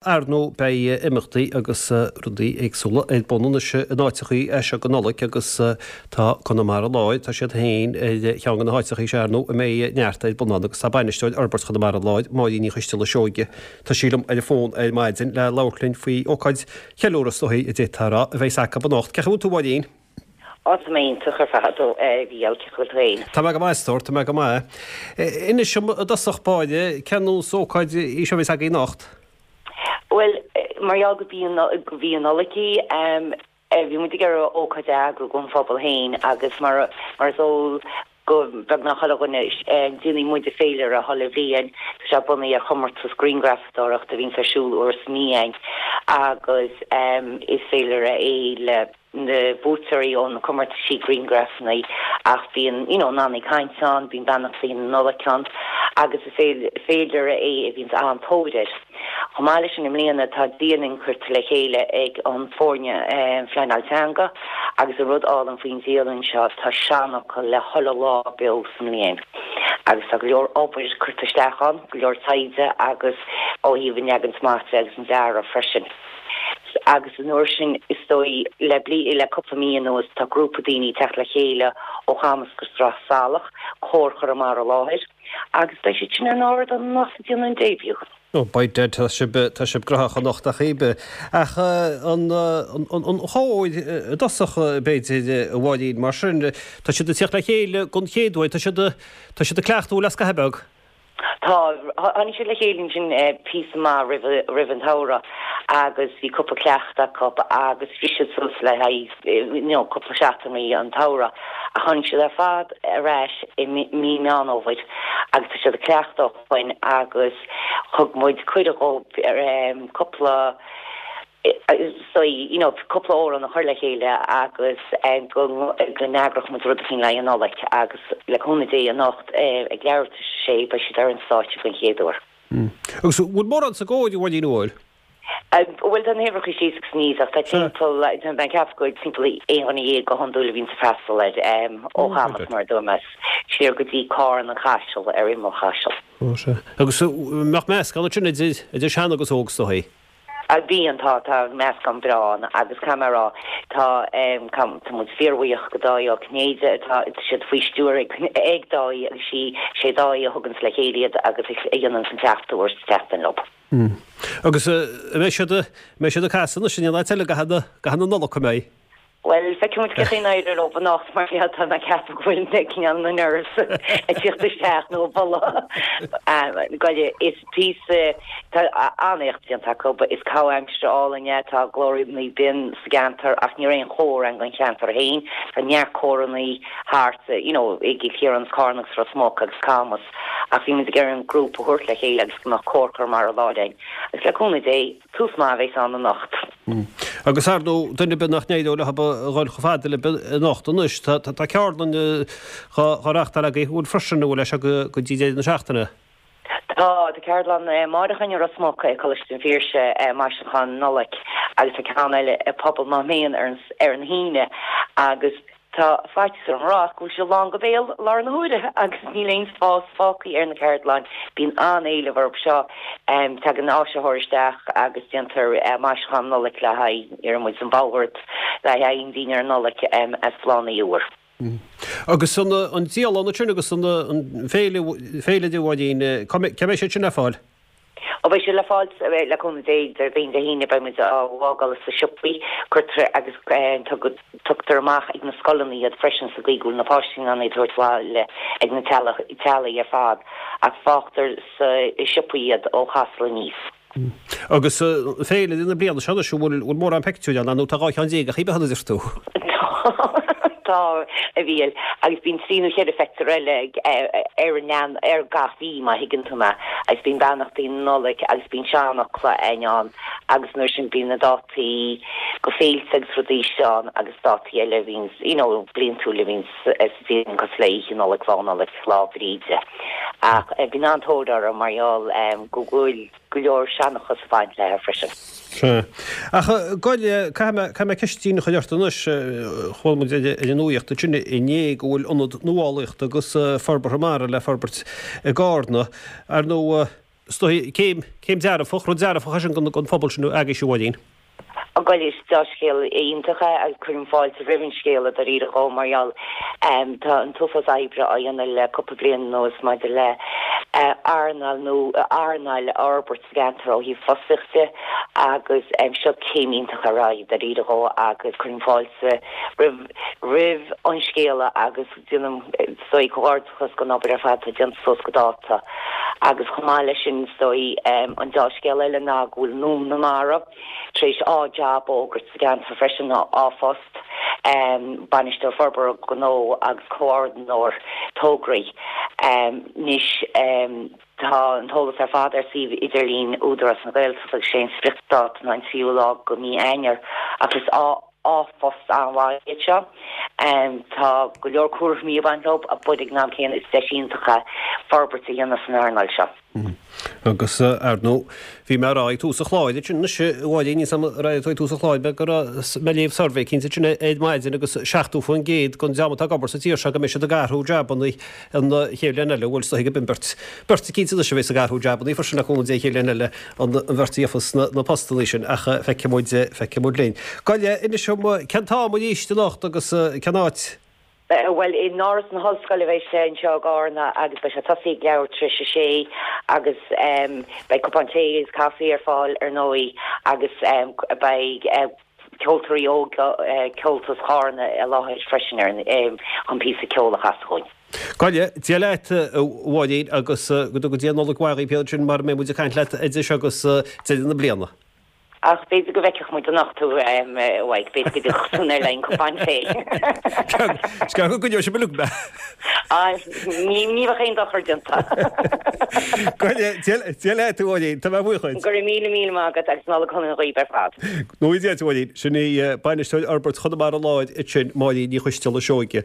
Ar ndóigh beidh imeachtaí agus rudaí éagsúla ar bun anois in áiteachaí as seo go Nollaig agus tá Conamara Láir, tá siad féin ar cheann de na háiteachaí seo ar ndóigh a mbeidh neart ar bun ann agus tá Bainisteoir Fhorbairt Chonamara Láir, Máirín Ní Choisteala Seoige, tá sí liom ar an bhfón ar maidin le labhairt linn faoi ócáid cheiliúradh is dóigh a d'fhéadfá a rá a bheas acu anocht. Cén chaoi a bhfuil tú a Mháirín? Á, tá mé iontach ar fad, a Mhícheáil, cén chaoi a bhfuil tú féin? Tá mé go maith, a stór, tá mé go maith. Inis dom i dtosach báire, cén nós ócáid í seo a bheas agaibh anocht? Bhuel, mar gheall gurb í an Nollaig í, bhí muid ag iarraidh ócáid a eagrú don phobal féin agus mar is eol go beagnach chuile dhuine, déanann muide féilire chuile bhliain, tá sé bunaithe ar chomórtas grianghrafadóireachta a bhíonns ar siúl uair sa mhí againn agus is féilire é le na buaiteoirí ó na comórtaisí grianghrafanna ach bíonn you know amannaí cainte ann, bíonn beannachtaí na Nollag ann agus is féilire é a bhíonns an-tóir air. Chomh maith leis sin i mbliana tá dialann curtha le chéile ag an foirne phleanáil teanga agus an rud álainn faoin dialann seo tá seanfhocal le chuile lá beo sa mbliain agus tá go leor obair curtha isteach ann, go leor taighde agus ó thaobh an leagan amach de agus an dearadh freisin. Agus an uair sin, is dóigh, le bliain, le cúpla mí anuas, tá grúpa daoine ag teacht le chéile ó Chamas go Sraith Salach, Cór Chonamara Láir, agus beidh siad sin ar an ardán anocht ag déanamh an debut. Ó, by dad, tá sibh, tá sibh graitheach anocht ach oiread. Ach an, an chór i dtosach, b'fhéidir, a Mháirín, mar sin, tá siad ag tíocht le chéile don chéad uair, tá siad, tá siad ag cleachtadh le scaitheamh beag. Tá. Tháinig siad le chéile ansin píosa maith roimh an tsamhradh agus bhí cúpla cleachtadh acu agus bhris siad suas le haghaidh you know cúpla seachtainí an tsamhradh ach tháinig siad ar fad ar ais i mí Meán Fhómhair agus tá siad ag cleachtadh ó shoin agus thug muid cuireadh dhóibh cúpla so you know cúpla amhrán a chur le chéile agus go go n-eagródh muid rud eicínt le haghaidh an Nollaig agus le cúnamh Dé anocht ag leathuair tar éis a sé beidh siad ar an stáitse den chéad uair. Agus an bhfuil mórán sa gcór, a Mháirín, an bhfuil? Bhuel tá na huimhreacha síos agus aníos ach tá timpeall tá mé ag ceapadh go timpeall 11 dhuine go hiondúil a bhíonns ag freastal air ó Chamas mar a dúirt mé siar go dtí Carn an Chaisil ar imeall Chaisil. Ó sea. Agus an mbeadh meascán ansin idir idir sean agus óg is dóigh? Bíonn, tá, tá meascán breá ann agus caithfidh mé a rá, tá, tá muid fíorbhuíoch go Dáithí Ó Cinnéide, tá siad faoi stiúir ag, ag Dáithí agus sí, sé Dáithí a thuganns le chéile iad agus a dhéananns an cleachtadh uair sa tseachtain leo. Agus an mbeidh siad, an mbeidh siad ag casadh anois in aon áit eile i gcaitheamh na, i gcaitheamh na Nollag, an mbeidh? Bhuel, feicfidh muid cén chaoi a n-éireoidh leo anocht mar gheall tá mé ag ceapadh go bhfuil na cineál na nerves ag tíocht isteach nó ag boladh. Goile, is píosa, tá an-éacht déanta acu, is caitheamh aimsire álainn é, tá glórannaí binn sa gceantar ach ní raibh aon chór ann don cheantar féin, tá neart córannaí thart, you know, i gCill Chiaráin is Carna agus Ros Muc agus Camas ach bhí muid ag iarraidh an grúpa a thabhairt le chéile agus go mbeadh Cór Chonamara Láir ann agus le cúnamh Dé, Tús maith a bheas ann anocht. Agus ar ndóigh, duine ar bith nach n-éireoidh leo a dhul chomh fada libh anocht anois, tá ceardlann dhá reáchtáil agaibh, an bhfuil freisin, an bhfuil é seo go dtí deireadh na seachtaine? Tá, tá ceardlann amárach againn i Ros Muc ag Coláiste an Phiarsaigh, Maisiúchán Nollag, agus tá ceann eile i Pobal Mhátha Méan ar an hAoine agus Tá faitíos orm a rá go bhfuil sé lán go béal i láthair na huaire agus níl aon spás fágtha ar na ceardlainn. Bíonn an-éileamh orthu seo. Tagann áisitheoir isteach agus déantar maisiúchán Nollag le haghaidh, iarrann muid an bord le haghaidh an dinnéar Nollag as bláthanna úr. Agus an dialann ansin agus an féile, féilire a Mháirín, cá mbeidh siad sin le fáil? Ó beidh siad le fáil le cúnamh Dé Déardaoin Dé hAoine beidh muid á bhfágáil sa siopaí cuirtear agus tugtar amach ag na scoileanna iad freisin sa gcaoi go bhfuil na páistí in ann iad a thabhairt abhaile ag na teaghlaigh ar fad ach fágtar sa siopaí iad ó Chasla aníos. Agus féilire na bliana seo anois an bhfuil mórán pictiúr ann nó tá 12 cheann a chífeá a deir tú? Tá, a Mhíchíl, agus bíonn trí nó cheithre phictiúr eile ar an lean ar gach mí, má thuigeann tú mé, agus bíonn beannachtaí na Nollag agus bíonn seanfhocla againn ann agus nuair sin bíonn na dátaí go féilte agus rudaí seo ann agus dátaí eile a bhíonns, you know, bliantúil a bhíonns sa bhliain cosúil le Oíche Nollag, Lá Nollag, Lá Bhríde. Ach bíonn an-tóir orthu mar gheall go bhfuil. go leor seanchas ag baint léi freisin. Sea. Ach goile, caithfidh mé, caithfidh mé ceistín a chur ort anois. Chuala muid ar an nuaíocht ansin inné go bhfuil ionad nuálaíochta agus forbartha mara le forbairt i gCarna. Ar ndóigh, Is dóigh, céim, céim dearfach, rud dearfach é sin don phobal sin agaibhse, a Mháirín. Bhuel, is dea-scéal iontach é agus cuirim fáilte roimh an scéala dáiríre dhó mar gheall tá an t-uafás oibre á dhéanamh le cúpla bliain anuas maidir le earnáil nó earnáil a fhorbairt sa gceantar ó thaobh fostaíocht de agus seo céim iontach ar aghaidh dáiríre dhó agus cuirim fáilte roimh roimh an scéala agus déanaim is dóigh comhghairdeachas don obair ar fad atá déanta suas go dáta agus chomh maith leis sin is dóigh an dea-scéal eile ná go bhfuil Nóin na Mara tar éis 2 jab a fhógairt sa gceantar freisin, 2 phost, Bainisteoir Forbartha Gnó agus Comhordaitheoir Tograí. Anois tá an t-eolas ar fad ar suíomh idirlín Údarás na Gaeltachta agus sé an spriocdháta ná an tríú lá de mhí Eanáir ach is 2 phost an-mhaith iad seo. Tá go leor cúraimí ag baint leo but ag an am céanna is deis iontach é forbairt a dhéanamh san earnáil seo. Agus, ar ndóigh, bhí mé a rá ag tús an chláir ansin anois, a Mháirín, níl 's agam ar éirigh tú ag tús an chláir, go raibh mé ag léamh suirbhé eicínt ansin ar maidin agus 70% den dream atá ag obair sa tír seo go mbeidh siad ag athrú jabannaí an chéad bhliain eile, bhuel, is dóigh go b'in beirt, beirt eicínt anois a bheas ag athrú jabannaí freisin le cúnamh Dé an chéad bhliain eile, an bheirt a gheofas na postannaí sin, ach feicfidh muid, feicfidh muid linn. Gabh i leith, inis dom, cén t-am arís anocht agus cén áit? Bhuel, in Áras na hOllscoile a bheidh sé anseo i gCarna agus beidh sé tosaithe ag leathuair tar éis a sé agus beidh cupán tae agus caife ar fáil ar ndóigh agus beidh ceoltóirí óga Ceoltas Chárna i láthair freisin ar chun píosa ceoil a chasadh dhúinn. Gabh i leith, Dia leat, a Mháirín, agus go dtuga Dia Nollaig mhaith dhaoibh ansin mara mbeidh muid ag caint leat idir seo agus deireadh na bliana. Ach b'fhéidir go bhfeicfeadh muid anocht thú, a Mhaidhc, b'fhéidir go dtiocfadh tú ar le haghaidh cupán tae. Is gearr go gcoinneoidh sibh uilig mé. Á, ní bheadh aon dochar déanta. Gabh i leith, Dia leat, a Mháirín, tá mé buíoch duit. Go raibh míle míle maith agat agus Nollaig shona dhaoibh ar fad. Go ngnóthaí Dia duit, a Mháirín. Sin í Bainisteoir Fhorbairt Chonamara Láir ansin, Máirín Ní Choisteala Seoige.